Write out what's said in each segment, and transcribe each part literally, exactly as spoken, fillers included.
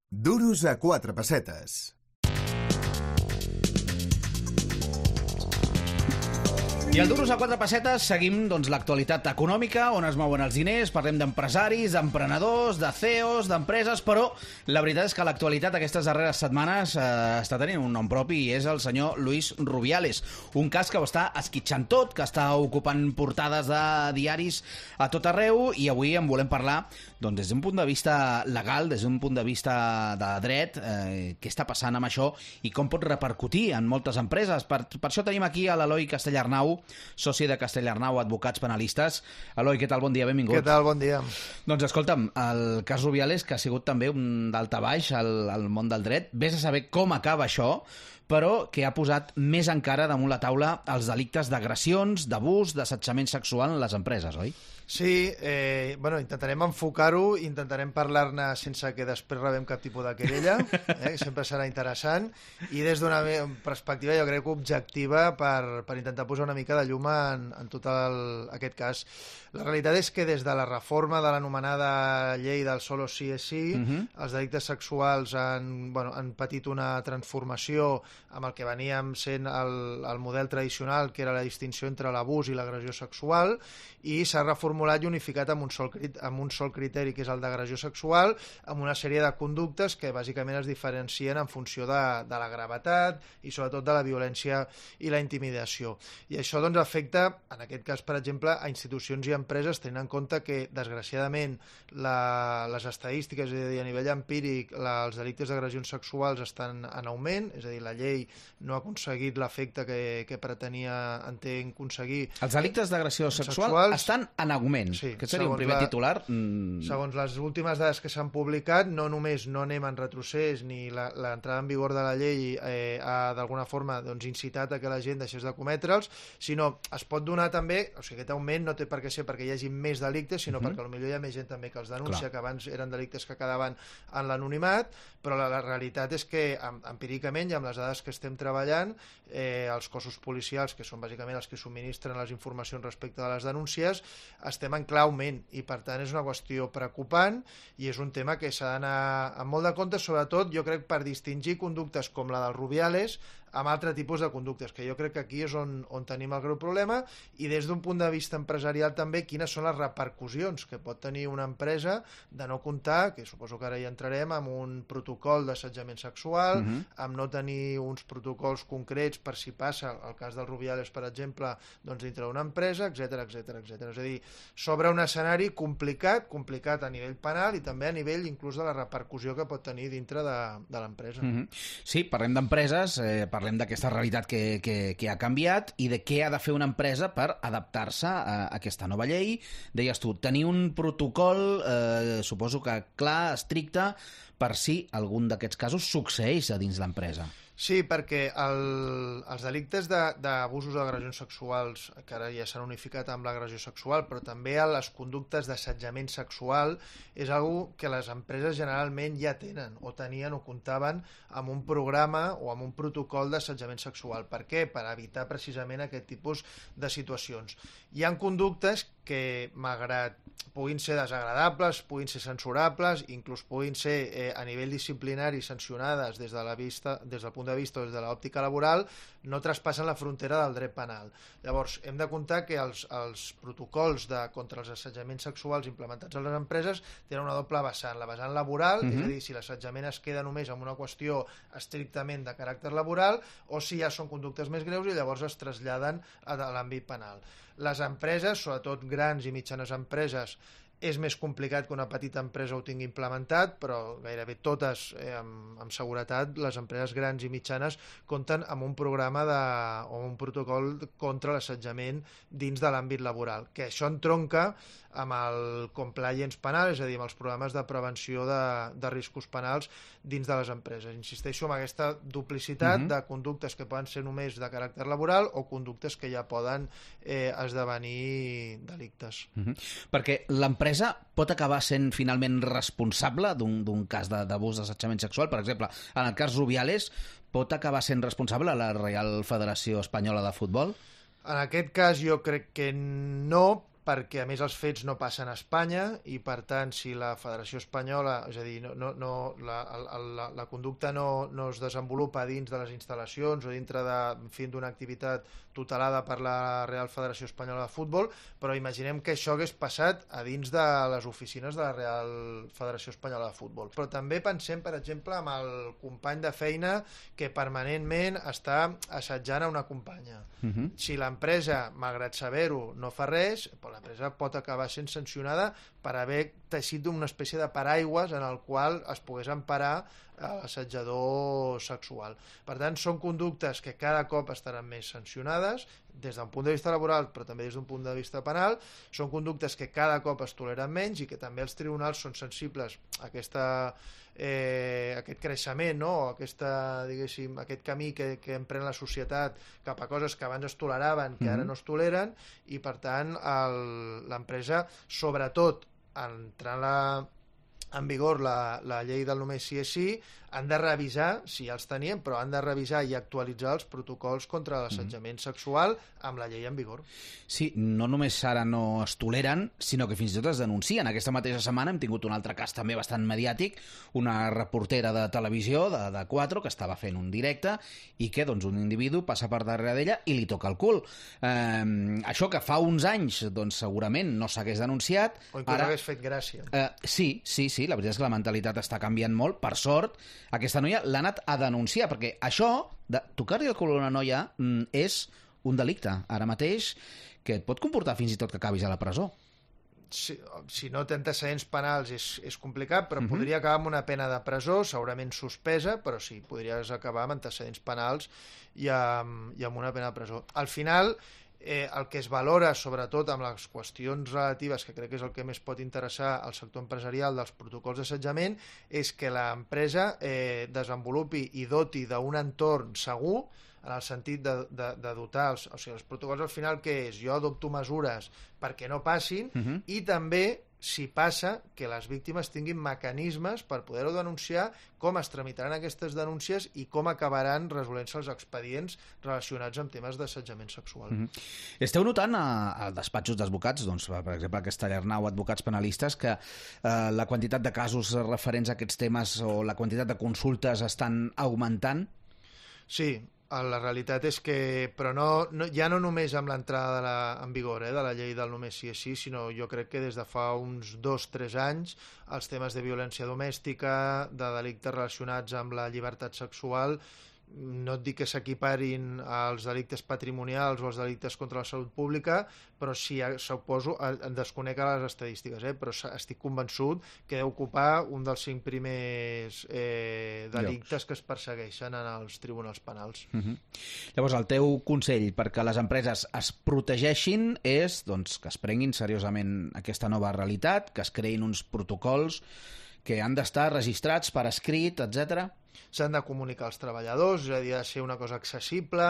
Duros a quatre pessetes. I al Duros a quatre pessetes seguim doncs, l'actualitat econòmica, on es mouen els diners, parlem d'empresaris, d'emprenedors, de C E Os, d'empreses, però la veritat és que l'actualitat aquestes darreres setmanes eh, està tenint un nom propi i és el senyor Luis Rubiales, un cas que ho està esquitxant tot, que està ocupant portades de diaris a tot arreu, i avui en volem parlar doncs, des d'un punt de vista legal, des d'un punt de vista de dret, eh, què està passant amb això i com pot repercutir en moltes empreses. Per, per això tenim aquí a l'Eloi Castellarnau, soci de Castellarnau Advocats Penalistes. Eloi, què tal? Bon dia, benvingut. Què tal? Bon dia. Doncs escolta'm, el cas Rubiales, que ha sigut també un daltabaix al, al món del dret, vés a saber com acaba això, però que ha posat més encara damunt la taula els delictes d'agressions, d'abús, d'assetjament sexual en les empreses, oi? Sí, eh, bueno, intentarem enfocar-ho, intentarem parlar-ne sense que després rebem cap tipus de querella, eh, que sempre serà interessant, i des d'una perspectiva, jo crec, objectiva per, per intentar posar una mica de llum en, en tot el, aquest cas. La realitat és que des de la reforma de l'anomenada llei del solo sí és sí, uh-huh. els delictes sexuals han, bueno, han patit una transformació amb el que veníem sent el, el model tradicional, que era la distinció entre l'abús i l'agressió sexual, i s'ha reformulat i unificat amb un, sol, amb un sol criteri, que és el d'agressió sexual, amb una sèrie de conductes que bàsicament es diferencien en funció de, de la gravetat i sobretot de la violència i la intimidació. I això doncs, afecta, en aquest cas, per exemple, a institucions i empreses, tenint en compte que, desgraciadament, la, les estadístiques, és a dir, a nivell empíric, la, els delictes d'agressions sexuals estan en augment, és a dir, la llei no ha aconseguit l'efecte que, que pretenia, entenc, aconseguir. Els delictes d'agressió sexual sexuals estan en augment. Sí, Aquest seria un primer la, titular. Mm. Segons les últimes dades que s'han publicat, no només no anem en retrocés ni l'entrada en vigor de la llei eh, ha d'alguna forma doncs, incitat a que la gent deixés de cometre'ls, sinó es pot donar també, o sigui, aquest augment no té per què ser perquè hi hagi més delictes, sinó mm-hmm. perquè potser hi ha més gent també que els denuncia, Clar. que abans eren delictes que quedaven en l'anonimat, però la, la realitat és que empíricament i amb les dades que estem treballant, eh, els cossos policials, que són bàsicament els que subministren les informacions respecte de les denúncies, estem en clar augment i per tant és una qüestió preocupant i és un tema que s'ha d'anar amb molt de compte, sobretot jo crec per distingir conductes com la dels Rubiales amb altre tipus de conductes, que jo crec que aquí és on, on tenim el greu problema, i des d'un punt de vista empresarial també quines són les repercussions que pot tenir una empresa de no comptar, que suposo que ara hi entrarem, amb un protocol d'assetjament sexual, uh-huh. amb no tenir uns protocols concrets per si passa, el cas dels Rubiales, per exemple, doncs dintre d'una empresa, etcètera, etcètera, etcètera. És a dir, s'obre un escenari complicat, complicat a nivell penal i també a nivell inclús de la repercussió que pot tenir dintre de, de l'empresa. Uh-huh. Sí, parlem d'empreses, eh, parlem d'aquesta realitat que, que, que ha canviat i de què ha de fer una empresa per adaptar-se a, a aquesta nova llei. Deies tu, tenir un protocol, eh, suposo que clar, estricte, per si algun d'aquests casos succeeix a dins l'empresa. Sí, perquè el, els delictes d'abusos o d'agressions sexuals, que ara ja s'han unificat amb l'agressió sexual, però també les conductes d'assetjament sexual, és una que les empreses generalment ja tenen, o tenien o comptaven amb un programa o amb un protocol d'assetjament sexual. Per què? Per evitar precisament aquest tipus de situacions. Hi ha conductes que, malgrat puguin ser desagradables, puguin ser censurables, inclús puguin ser eh, a nivell disciplinari sancionades des de la vista, des del punt de vista o des de l'òptica laboral, no traspassen la frontera del dret penal. Llavors, hem de comptar que els, els protocols de, contra els assetjaments sexuals implementats a les empreses tenen una doble vessant. La vessant laboral, uh-huh. és a dir, si l'assetjament es queda només amb una qüestió estrictament de caràcter laboral, o si ja són conductes més greus i llavors es traslladen a l'àmbit penal. Les empreses, sobretot grans i mitjanes empreses, és més complicat que una petita empresa ho tingui implementat, però gairebé totes, eh, amb, amb seguretat, les empreses grans i mitjanes compten amb un programa de, o un protocol contra l'assetjament dins de l'àmbit laboral, que això entronca amb el compliance penal, és a dir, amb els programes de prevenció de, de riscos penals dins de les empreses. Insisteixo en aquesta duplicitat uh-huh. de conductes que poden ser només de caràcter laboral o conductes que ja poden eh, esdevenir delictes. Uh-huh. Perquè l'empresa pot acabar sent finalment responsable d'un cas d'abús d'assetjament sexual? Per exemple, en el cas Rubiales, pot acabar sent responsable la Reial Federació Espanyola de Futbol? En aquest cas jo crec que no, perquè a més els fets no passen a Espanya i per tant si la Federació Espanyola, és a dir, no, no, no, la, la, la conducta no, no es desenvolupa dins de les instal·lacions o dintre de, en fi, d'una activitat tutelada per la Real Federació Espanyola de Futbol, però imaginem que això hagués passat a dins de les oficines de la Real Federació Espanyola de Futbol. Però també pensem, per exemple, amb el company de feina que permanentment està assetjant a una companya. Uh-huh. Si l'empresa, malgrat saber-ho, no fa res, l'empresa pot acabar sent sancionada per haver teixit una espècie de paraigües en el qual es pogués emparar l'assetjador sexual. Per tant, són conductes que cada cop estaran més sancionades des d'un punt de vista laboral, però també des d'un punt de vista penal. Són conductes que cada cop es toleren menys i que també els tribunals són sensibles a aquesta, eh, aquest creixement, no? aquesta, diguéssim, aquest camí que, que emprèn la societat cap a coses que abans es toleraven, que ara no es toleren, i per tant l'empresa, sobretot entrant la en vigor la, la llei del només sí és sí, han de revisar, si ja els tenien, però han de revisar i actualitzar els protocols contra l'assetjament sexual amb la llei en vigor. Sí, no només ara no es toleren, sinó que fins i tot es denuncien. Aquesta mateixa setmana hem tingut un altre cas també bastant mediàtic, una reportera de televisió de, de quatre que estava fent un directe i que doncs, un individu passa per darrere d'ella i li toca el cul. Eh, això que fa uns anys doncs, segurament no s'hagués denunciat. O inclús ara hagués fet gràcia. Eh, sí, sí, sí, la veritat és que la mentalitat està canviant molt. Per sort, aquesta noia l'ha anat a denunciar, perquè això, de tocar-li el cul a una noia, és un delicte, ara mateix, que et pot comportar fins i tot que acabis a la presó. Si, si no té antecedents penals és, és complicat, però uh-huh. podria acabar amb una pena de presó, segurament suspesa, però sí, podries acabar amb antecedents penals i amb, i amb una pena de presó. Al final, Eh, el que es valora, sobretot amb les qüestions relatives, que crec que és el que més pot interessar al sector empresarial dels protocols d'assetjament, és que l'empresa eh, desenvolupi i doti d'un entorn segur, en el sentit de, de, de dotar els, o sigui, els protocols al final què és? Jo adopto mesures perquè no passin uh-huh. i també si passa, que les víctimes tinguin mecanismes per poder-ho denunciar, com es tramitaran aquestes denúncies i com acabaran resolent-se els expedients relacionats amb temes d'assetjament sexual. Mm-hmm. Esteu notant a, a despatxos d'advocats, doncs, per exemple, a Castellarnau, advocats penalistes, que eh, la quantitat de casos referents a aquests temes o la quantitat de consultes estan augmentant? Sí, la realitat és que, però no, no, ja no només amb l'entrada de la, en vigor eh, de la llei del només sí és sí, sinó jo crec que des de fa uns dos o tres anys els temes de violència domèstica, de delictes relacionats amb la llibertat sexual, no et dic que s'equiparin als delictes patrimonials o als delictes contra la salut pública, però sí, suposo, en desconec les estadístiques, eh, però estic convençut que deu ocupar un dels cinc primers eh, delictes Llocs. que es persegueixen en els tribunals penals. Uh-huh. Llavors, el teu consell perquè les empreses es protegeixin és doncs, que es prenguin seriosament aquesta nova realitat, que es creïn uns protocols que han d'estar registrats per escrit, etcètera. S'han de comunicar als treballadors, és a dir, ha de ser una cosa accessible,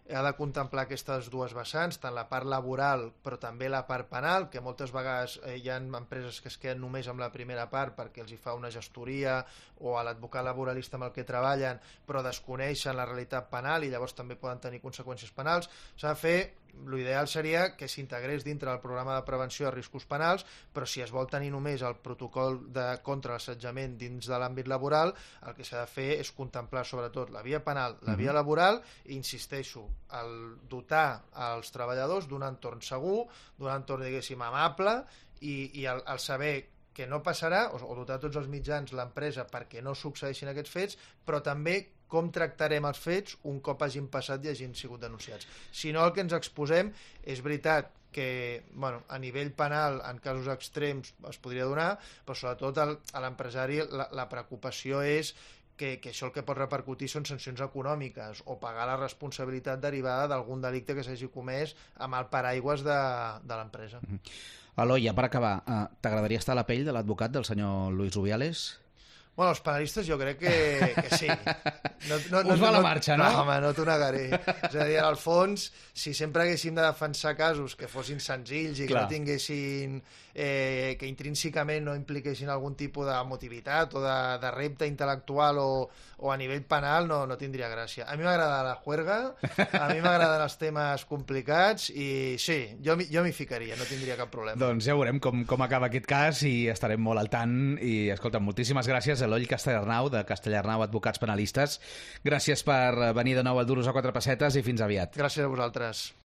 ha de contemplar aquestes dues vessants, tant la part laboral però també la part penal, que moltes vegades eh, hi ha empreses que es queden només amb la primera part perquè els hi fa una gestoria o a l'advocat laboralista amb el que treballen, però desconeixen la realitat penal i llavors també poden tenir conseqüències penals. S'ha de fer, l'ideal seria que s'integrés dintre del programa de prevenció de riscos penals, però si es vol tenir només el protocol de contra l'assetjament dins de l'àmbit laboral, el que s'ha de fer és contemplar sobretot la via penal, la via laboral, i insisteixo, el dotar als treballadors d'un entorn segur, d'un entorn, diguéssim, amable, i, i el, el saber que no passarà, o, o dotar tots els mitjans l'empresa perquè no succeeixin aquests fets, però també com tractarem els fets un cop hagin passat i hagin sigut denunciats. Si no, el que ens exposem és veritat que bueno, a nivell penal en casos extrems es podria donar, però sobretot el, a l'empresari la, la preocupació és que, que això el que pot repercutir són sancions econòmiques o pagar la responsabilitat derivada d'algun delicte que s'hagi comès amb el paraigües de, de l'empresa. Mm-hmm. Eloi, ja per acabar, eh, t'agradaria estar a la pell de l'advocat del senyor Luis Rubiales? Bueno, els penalistes jo crec que, que sí. No, no, Us va la marxa, no? No, home, no t'ho negaré. És a dir, al fons, si sempre haguéssim de defensar casos que fossin senzills i que Clar. no tinguessin... Eh, que intrínsecament no impliquessin algun tipus de motivitat o de, de repte intel·lectual o, o a nivell penal, no, no tindria gràcia. A mi m'agrada la juerga, a mi m'agraden els temes complicats i sí, jo, m'hi- jo m'hi ficaria, no tindria cap problema. Doncs ja veurem com, com acaba aquest cas i estarem molt al tant. I, escolta, moltíssimes gràcies a Eloi Castellarnau, de Castellarnau Advocats Penalistes. Gràcies per venir de nou al Duros a quatre pessetes i fins aviat. Gràcies a vosaltres.